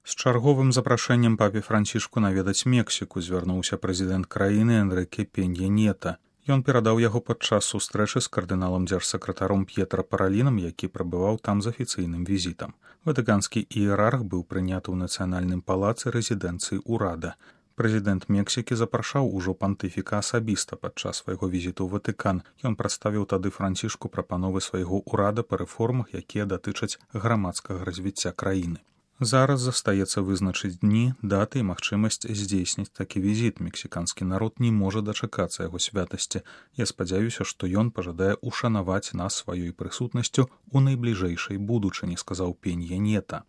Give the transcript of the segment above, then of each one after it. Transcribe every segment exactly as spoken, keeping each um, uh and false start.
З чарговым запрашэннем папе Францішку наведаць Мексіку звярнуўся прэзідэнт краіны Энрыке Пенья Нета. Ён перадаў яго падчас сустрэчы з кардыналам дзяржсакратаром П'етра Паралінам, які прабываў там з афіцыйным візітам. Ватыканскі іерарх быў прыняты ў нацыянальным палацы рэзідэнцыі ўрада. Прэзідэнт Мексікі запрашаў ужо пантыфіка асабіста падчас свайго візіту ў Ватыкан. Ён прадставіў тады Францішку прапановы свайго ўрада па рэформах, якія датычаць грамадскага развіцця краіны. Зараз застаецца вызначыць дні, даты і магчымасць здзейсніць такі візіт. Мексіканскі народ не можа дачакацца яго святасці. Я спадзяюся, што ён пажадае ушанаваць нас сваёй прысутнасцю ў найбліжэйшай будучыні, сказаў Пенья Нета.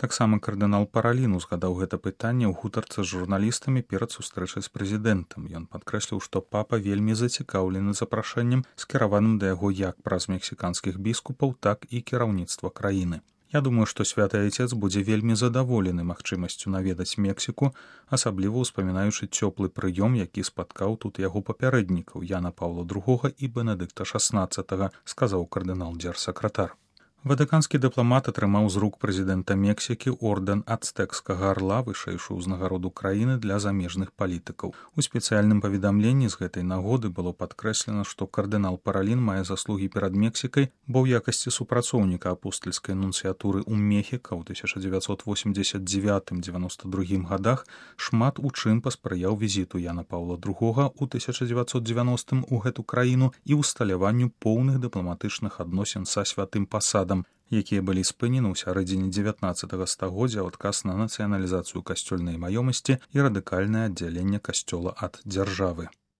Таксама кардынал Паралін узгадаў гэта пытанне ў гутарцы з журналістамі перад сустрэчай з прэзідэнтам. Ён падкрэсліў, што папа вельмі зацікаўлены запрашэннем, скіраваным да яго як праз мексіканскіх біскупаў, так і кіраўніцтва краіны. Я думаю, што святы айцец будзе вельмі задаволены магчымасцю наведаць Мексіку, асабліва ўспамінаючы цёплы прыём, які спаткаў тут яго папярэднікаў Яна Паўла другога і Бенедыкта шаснаццатага, сказаў кардынал дзяржсакратар. Ватыканскі дыпламат атрымаў з рук прэзідэнта Мексікі ордэн ацтэкскага арла, вышэйшую ўзнагароду краіны для замежных палітыкаў. У спецыяльным паведамленні з гэтай нагоды было падкрэслена, што кардынал Паралін мае заслугі перад Мексікай, бо ў якасці супрацоўніка апостальскай нунцыятуры ў Мехіка ў тысяча дзевяцьсот восемьдесят девятым — девяносто другім гадах шмат у чым паспрыяў візіту Яна Паўла другога ў тысяча дзевяцьсот девяностым у гэту краіну і ўсталяванню поўных дыпламатычных адносін са святым пасадам, якія былі спынены ў сярэдзіне дзевятнаццатага стагоддзя ў адказ на нацыяналізацыю касцёльнай маёмасці і радыкальнае аддзяленне касцёла ад дзяржавы.